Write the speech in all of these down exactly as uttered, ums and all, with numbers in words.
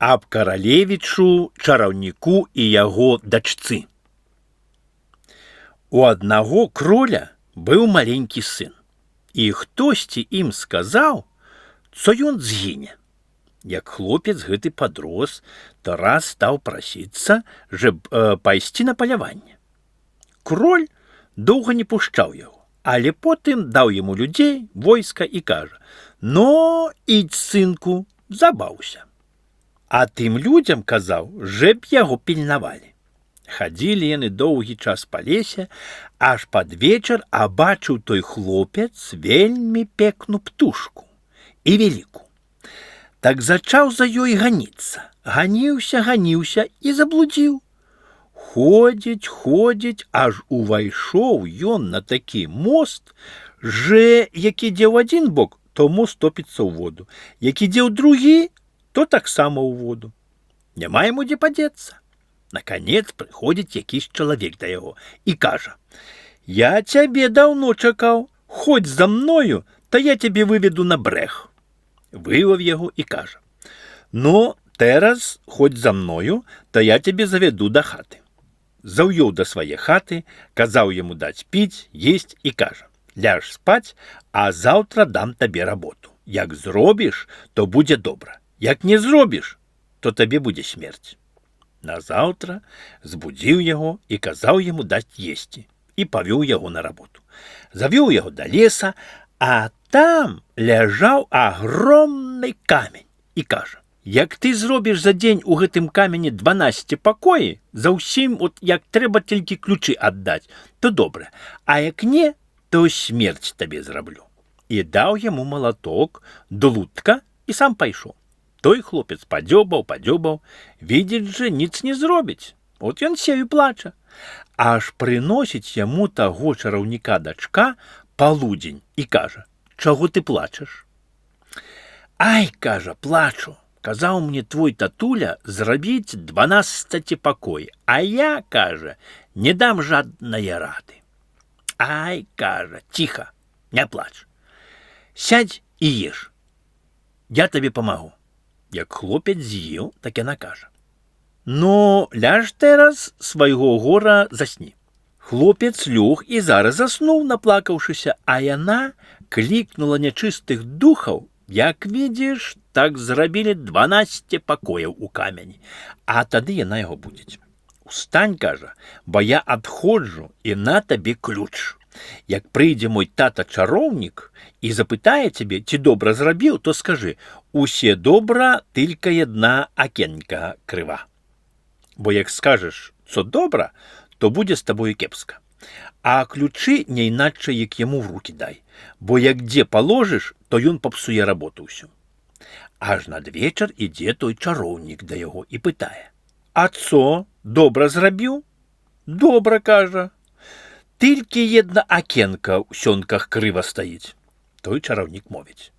аб каралевічу, чараўніку і яго дачцы. У аднаго кроля быў маленькі сын, і хтосьці ім сказаў, што ён згіне. Як хлопец гэты падрос, то раз стаў прасіцца, жаб э, пайсці на паляванне. Кроль доўга не пушчаў яго, але потым даў яму людзей, войска і кажа: «Но, ідź, сынку, забаўся». А тым людзям казаў, жэб яго пільнавалі. Хадзілі яны доўгі час па лесе, аж пад вечар абачыў той хлопец вельмі пекну птушку і веліку. Так зачаў за ёй ганіцца, ганіўся, ганіўся і заблудзіў. Ходзіць, ходзіць, аж увайшоў ён на такі мост, że як ідзе ў адзін бок, то мост топіцца ў воду, як ідзе ў другі, то таксама ў воду. Няма яму дзе падзецца. Наконец прыходзіць якийсь чалавек да яго і кажа: «Я цябе даўно чакаў, ходź за мною, то я цябе выведу на брэг». Вываў яго і кажа: «Ну, teraz ходź за мною, то я цябе заведу да хаты». Заўёў да свае хаты, казаў яму даць піць, есць і кажа: «Ляж спаць, а заўтра дам табе работу. Як зробіш, то будзе добра. Як не зробіш, то табе будзе смерць». Назаўтра збудзіў яго і казаў яму даць есці і павёў яго на работу. Завёў яго да леса, а там ляжаў агромны камень і кажа: «Як ты зробіш за дзень у гэтым камені дванаццаць пакоі, за ўсім, от як трэба толькі ключы аддаць, то добра, а як не, то смерць табе зраблю». І даў яму малаток, длутка і сам пайшоў. Той хлопец падзёбаў, падзёбаў, видіць же, ніц не зробіць. От ён сеў і плача. Аж прыносіць яму таго чараўніка дачка палудзень і кажа: «Чаго ты плачаш?» «Ай, – кажа, – плачу. Казаў мне твой татуля зрабіць дванаццаць пакоі, а я, – кажа, – не дам жаднае рады». «Ай, – кажа, – ціха, не плач. Сядь і еш. Я табе памагу». Як хлопец з'еў, так яна кажа: «Ну, ляж teraz свайго гора засні». Хлопец лёг і зараз заснуў, наплакаўшыся, а яна клікнула нячыстых духаў. Як видиш, так зрабілі дванаццаць пакояў у камені, а тады яна яго будзіць. «Устань, – кажа, – бо я адходжу, і на табе ключ. Як прыйдзе мой тата-чароўнік і запытае цябе, ці добра зрабіў, то скажы: усе добра, тільки една акенька крыва. Бо як скажеш, що добра, то будзе з табою кепска. А ключы не іначе, як яму в руки дай, бо як дзе положиш, то ён попсуе работу ўсю». Аж надвечар ідзе той чароўнік да яго і пытае: «А цо, добра зрабіў?» «Добра, – кажа. Тільки jedna акенка ў сёнках крыва стаіць». Той чараўнік мовіць: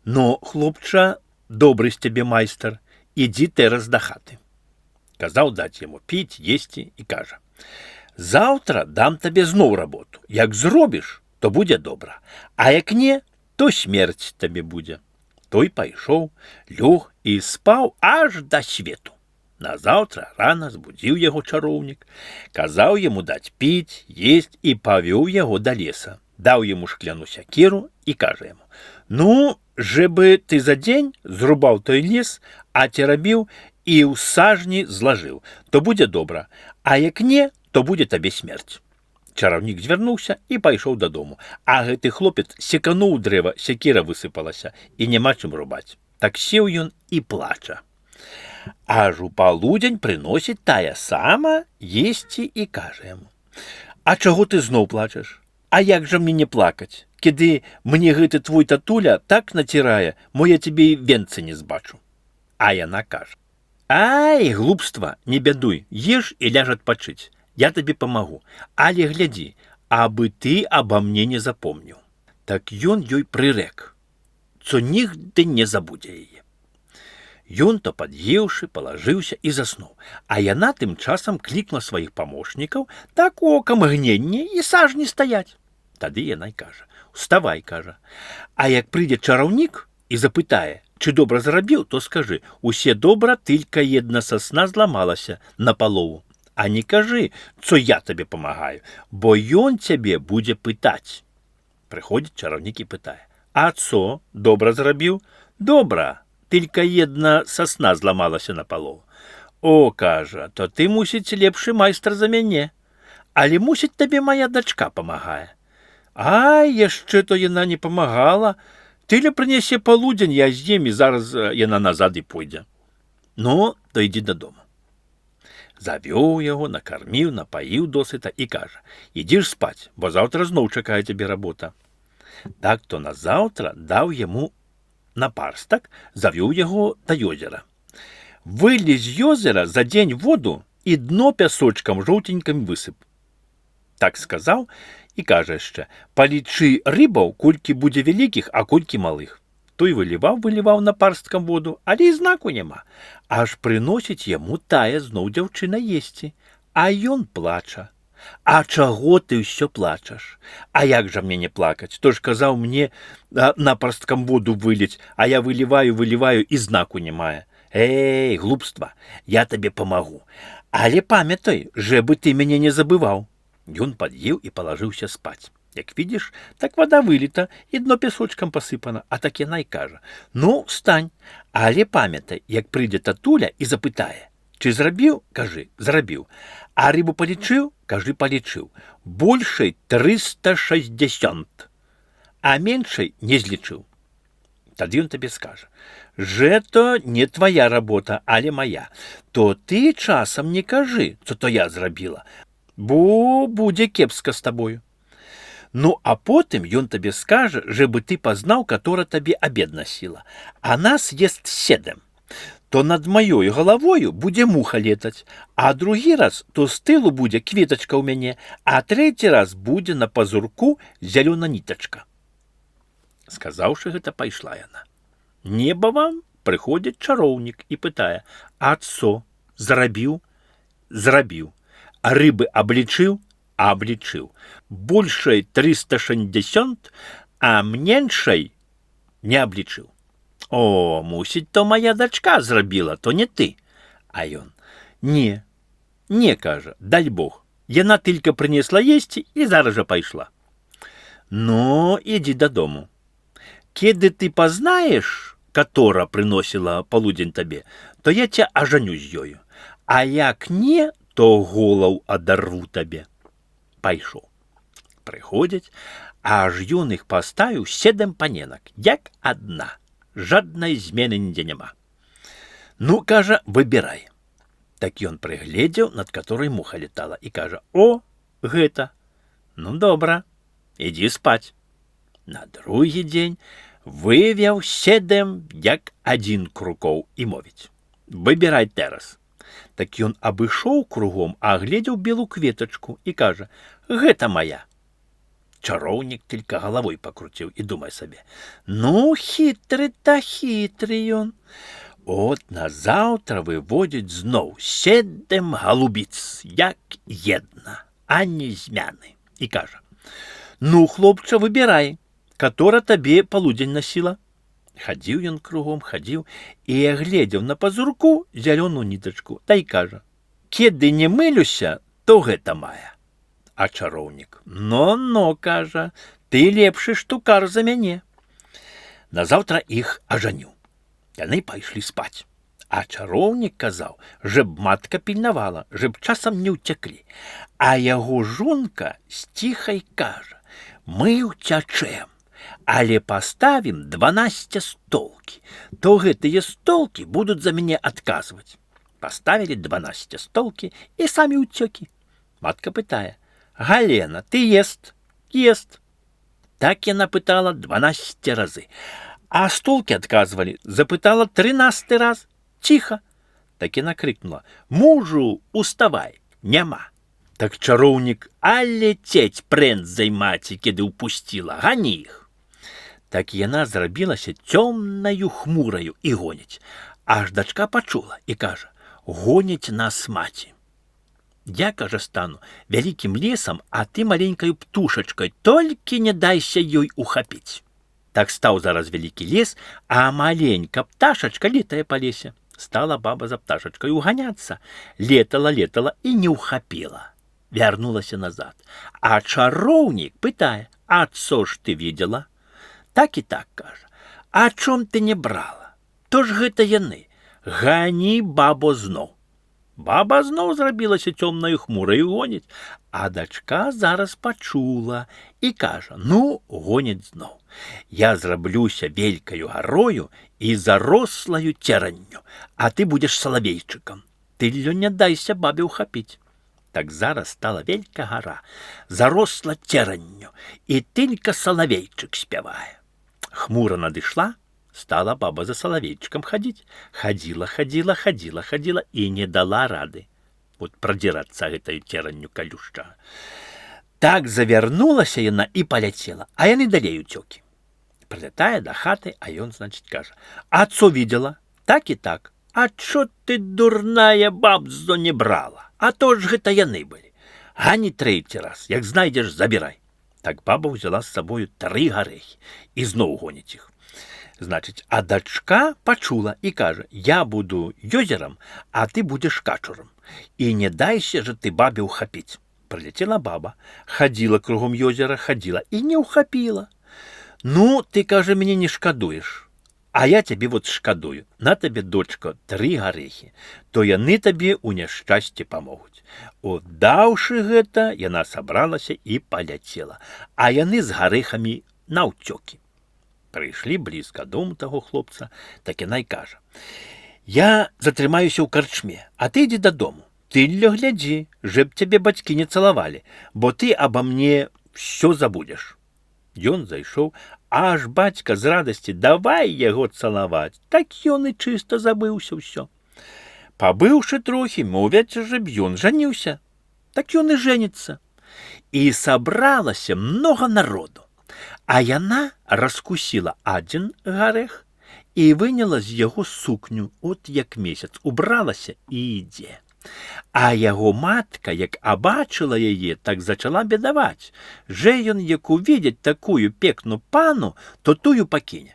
«Ну, хлопча, добры з цябе майстар, ідзі teraz да хаты». Казаў даць яму піць, есці і кажа: «Заўтра дам табе зноў работу. Як зробіш, то будзе добра, а як не, то смерць табе будзе». Той пайшоў, лёг і спаў аж да свету. Назаўтра рана збудзіў яго чароўнік, казаў яму даць піць, есць і павёў яго да леса. Даў яму шкляну сякеру і кажа яму: «Ну, жэбы ты за дзень зрубаў той лес, а ці рабіў і ў сажні злажыў, то будзе добра, а як не, то будзе табе смерць». Чараўнік звярнуўся і пайшоў дадому, а гэты хлопец секануў дрэва, сякера высыпалася, і няма чым рубаць. Так сеў ён і плача. Аж у палудзень прыносіць тая сама есці і кажа яму: «А чаго ты зноў плачаш? А як жа мне не плакаць, кіды мне гэты твой татуля так націрае, мо я цябе і венца не збачу». А яна кажа: «Ай, глупства, не бядуй, еш і ляж адпачыць. Я табе памагу, але глядзі, абы ты аба мне не запомніў». Так ён ёй прырэк, што нігды не забудзе яе. Ён то пад'еўшы, палажыўся і заснуў, а яна тым часам клікнула сваіх памочнікаў, так окам гненне і сажні стаяць. Тады яна й кажа: «Уставай, – кажа, – а як прыйдзе чараўнік і запытае, чи добра зрабіў, то скажы: усе добра, тільки jedna сосна зламалася напалову. А не кажы, co я табе памагаю, бо ён цябе будзе пытаць. Прыходзіць чараўнік і пытае: а co, добра зрабіў? Добра, тільки jedna сосна зламалася напалову. О, кажа, то ты, мусіць, лепшы майстар за мяне. Але, мусіць, табе моя дачка памагае. Ай, яшчэ то яна не памагала. Тыля прынясе палудзень, я з'ем, і зараз яна назад і пойдзе. Ну, то ідзі дадому. Завёў яго, накарміў, напаіў досыта і кажа: ідзі ж спаць, бо заўтра зноў чакае цябе работа. Так то назаўтра даў яму напарстак, завёў яго да ёзера. Вылез з ёзера за дзень воду і дно пясочкам жоўтенькім высып. Так сказаў і кажа яшчэ: палічы рыбаў, колькі будзе вялікіх, а колькі малых. Той выліваў, выліваў напарсткам воду, але і знаку няма. Аж прыносіць яму тая зноў дзяўчына есці. А ён плача. А чаго ты ўсё плачаш? А як жа мне не плакаць? То ж казаў мне напарсткам воду выліць, а я выліваю, выліваю, і знаку не мае. Эй, глупства, я табе памагу. Але памятай, жэбы ты мяне не забываў. Ён пад'еў і палажыўся спаць. Як видиш, так вода выліта, і дно пясочкам пасыпана, а так яна і кажа: ну, стань, але памятай, як прыйдзе татуля і запытае: чы зрабіў? Кажы: зрабіў. А рыбу палічыў? Кажы: палічыў. Большай трыста шэсцьдзесят, а меншай не злічыў. Тады ён табе скажа: «Жето не твоя работа, але моя. То ты часам не кажы, co то я зрабіла, бо будзе кепска з табою». Ну, а потым ён табе скажа, żeby ты пазнаў, катора табе абед насіла. А нас есть седем. То над маёй галавою будзе муха летаць, а другі раз то з тылу будзе кветачка ў мяне, а трэці раз будзе на пазурку зялёна нітачка. Сказаўшы гэта, пайшла яна. Небавам прыходзіць чароўнік і пытае: а co, зрабіў? Зрабіў. А рыбы аблічыў? Аблічыў. Большай трыста шэсцьдзесят, а меншай не аблічыў. О, мусіць, то моя дачка зрабіла, то не ты. А ён: не, не, кажа, дай Бог. Яна тільки прынесла есці і зараз жа пайшла. Ну, ідзі дадому. Кеды ты пазнаеш, катора прыносіла палудзень табе, то я ця ажаню з ёю. А як не, то голаў адарву табе. Пайшоў. Прыходзяць, аж ён іх паставіў седем паненак, як адна. Жаднай змены нідзе няма. Ну, кажа, выбірай. Так ён прыгледзеў, над каторай муха летала, і кажа: о, гэта. Ну, добра, ідзі спаць. На другі дзень вывеў седем, як адзін крукоў, і мовіць: выбірай тэрас. Так ён абышоў кругом, а гледзеў белу кветачку і кажа: гэта моя. Чароўнік тільки галавой пакруціў і думае сабе: ну, хітры та хітры ён. От назаўтра выводзіць зноў седем галубіц, як една, а не змяны. І кажа: ну, хлопча, выбірай, катора табе палудзень насіла. Хадзіў ён кругом, хадзіў і гледзеў на пазурку зялёную нітачку, та й кажа: кеды не мылюся, то гэта мая. А чароўнік: но-но, кажа, ты лепшы штукар за мяне. Назаўтра іх ажаню. Яны пайшлі спаць. А чароўнік казаў, жэб матка пільнавала, жэб часам не ўцяклі. А яго жонка сціхай кажа: мы ўцячэм, але паставім дванасця столкі, то гэтыя столкі будуць за мяне адказваць. Паставілі дванасця столкі і самі ўцёкі. Матка пытае: Галена, ты ест? Ест. Так яна пытала дванасця разы. А столкі адказвалі, запытала трынасты раз. Ціха. Так яна крыкнула: мужу, уставай, няма. Так чароўнік: а лецець прэндзай маці, кеды ўпусціла, гані іх. Так яна зрабілася цёмнаю хмураю і гоніць. Аж дачка пачула і кажа: гоніць нас маці. Я, кажа, стану вялікім лесам, а ты маленькаю птушачкай, толькі не дайся ёй ухапіць. Так стаў зараз вялікі лес, а маленька пташачка летае па лесе. Стала баба за пташачкою ганяцца. Летала, летала і не ўхапіла. Вярнулася назад. А чароўнік пытае: «А цо ж ты видела?» Так і так, кажа. «А чом ты не брала? То ж гэта яны. Гані, бабо, зноў». Баба зноў зрабілася цёмнаю хмурай гоніць, а дачка зараз пачула і кажа: «Ну, гоніць зноў. Я зраблюся вялікаю гарою і зарослаю церанню, а ты будзеш салавейчыкам. Тыллё не дайся бабе ўхапіць». Так зараз стала вялікая гара, заросла церанню, і тільки салавейчык спявае. Хмура надышла, стала баба за салавейчыкам хадзіць. Хадзіла, хадзіла, хадзіла, хадзіла і не дала рады. Вот прадзірацца гэтаю церанню калюшча. Так завярнулася яна і паляцела, а яны далей уцёкі. Прылятае да хаты, а ён, значыць, кажа: «А цо видела?» Так і так. «А чо ты, дурная бабзо, не брала? А то ж гэта яны былі. Гані трэці раз, як знайдзеш, забірай». Так баба ўзяла з сабою тры гарэхі і зноў гоніць іх. Значыць, а дачка пачула і кажа: «Я буду ёзерам, а ты будзеш качурам. І не дайся же ты бабе ўхапіць». Прылецела баба, хадзіла кругом ёзера, хадзіла і не ўхапіла. «Ну, ты, кажа, мяне не шкадуеш. А я табе вот шкадую. На табе, дочка, тры гарэхі, то яны табе ў няшчасці памогуць». От даўшы гэта, яна сабралася і паляцела, а яны з гарэхамі наўцёкі. Прыйшлі блізка дому таго хлопца, так яна й кажа: «Я затрымаюся ў карчме, а ты ідзі дадому. Тыллё глядзі, жэб цябе бацькі не цалавалі, бо ты аба мне всё забудзеш». Ён зайшоў, аж бацька з радасці давай яго цалаваць, так ён і чыста забыўся ўсё. Пабыўшы трохі, мовяць, жэб ён жаніўся, так ён і жэніцца. І сабралася многа народу, а яна раскусіла адзін гарэх і выняла з яго сукню, от як месяц, убралася і ідзе. А яго матка, як абачыла яе, так зачала бедаваць. Жэ ён, як увидзець такую пекну пану, то тую пакіне.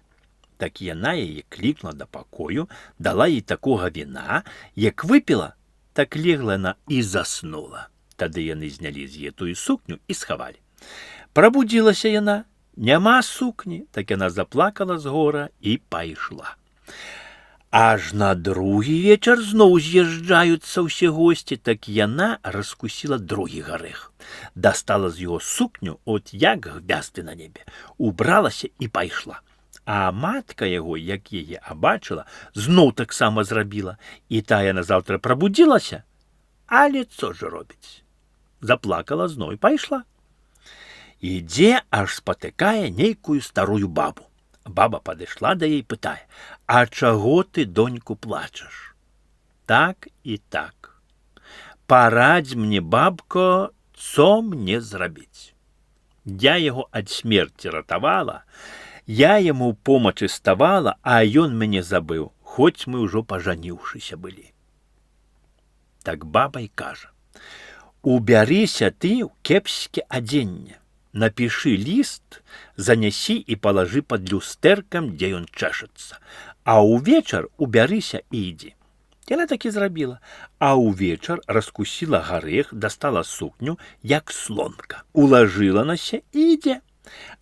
Так яна яе клікнула да пакою, дала ей такога віна, як выпіла, так легла яна і заснула. Тады яны знялі з яе тую сукню і схавалі. Прабудзілася яна, няма сукні, так яна заплакала з гора і пайшла. Аж на другі вечар зноў з'язджаюцца ўсе госці, так яна раскусіла другі гарэх. Дастала з яго сукню, от як гвязды на небе, убралася і пайшла. А матка яго, як яе абачыла, зноў таксама зрабіла, і тая назаўтра прабудзілася, але цо ж робіць? Заплакала зноў і пайшла. Ідзе, аж спатыкае нейкую старую бабу. Баба падышла да яе, пытае: «А чаго ты, доньку, плачаш?» Так і так. «Парадзь мне, бабко, цо мне зрабіць? Я яго ад смерці ратавала, я яму ў помачы ставала, а ён мяне забыў, хоць мы ўжо пажаніўшыся былі». Так баба і кажа: «Убярыся ты ў кепске адзенне. Напиши ліст, занясі і палажы пад люстэркам, дзе ён чэшацца, а ўвечар убярыся і ідзі». Яна так і зрабіла, а ўвечар раскусіла гарэх, дастала сукню, як слонка, улажыла нася і ідзе.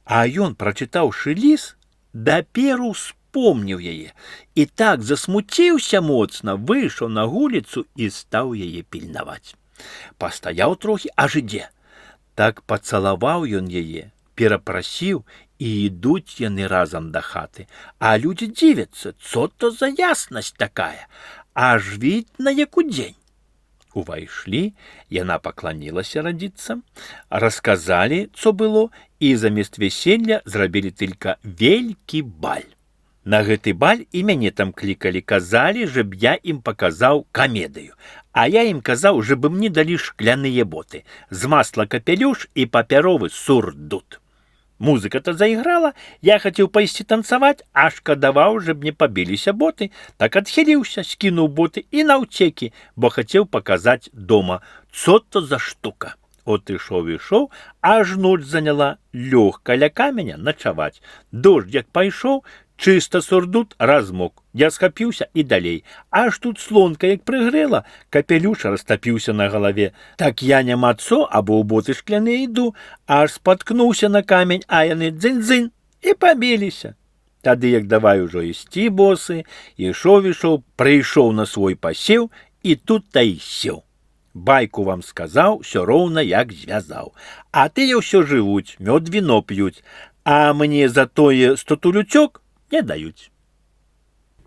А ён, прачытаўшы ліст, даперу спомніў яе і так засмуціўся моцна, выйшаў на вуліцу і стаў яе пільнаваць. Пастаяў трохі, аж ідзе. Так пацалаваў ён яе, перапрасіў, і ідуць яны разам да хаты. А людзі дзівяцца, цо то за яснасць такая, аж відна, як удзень. Увайшлі, яна пакланілася радзіцам, расказалі, цо было, і замест веселья зрабілі толькі велькі баль. На гэты баль і мяне там клікалі, казалі, жаб я ім паказаў камедыю. А я ім казаў, жаб мне далі шкляныя боты, з масла капелюш і папяровы сурдут. Музыка-то заіграла, я хацеў пайсці танцаваць, а шкадаваў, жаб не пабіліся боты, так адхіліўся, скінуў боты і наўцекі, бо хацеў паказаць дома, цо то за штука. От ішоў ішоў, аж ноч заняла, лёг каля каменя начаваць. Дождж як пайшоў, чыста сурдут размок. Я схапіўся і далей. Аж тут слонка як прыгрэла, капелюш растапіўся на галаве. Так я не мацо, або ў боты шкляныя іду, аж спаткнуўся на камень, а яны дзынь-дзынь і пабіліся. Тады як давай ужо ісці босы, ішоў ішоў, прыйшоў на свой пасеў і тут та і сеў. Байку вам сказаў, усё роўна як звязаў. А тыя ўсё жывуць, мёд віно п'юць, а мне за тое, што туль уцёк, не даюць.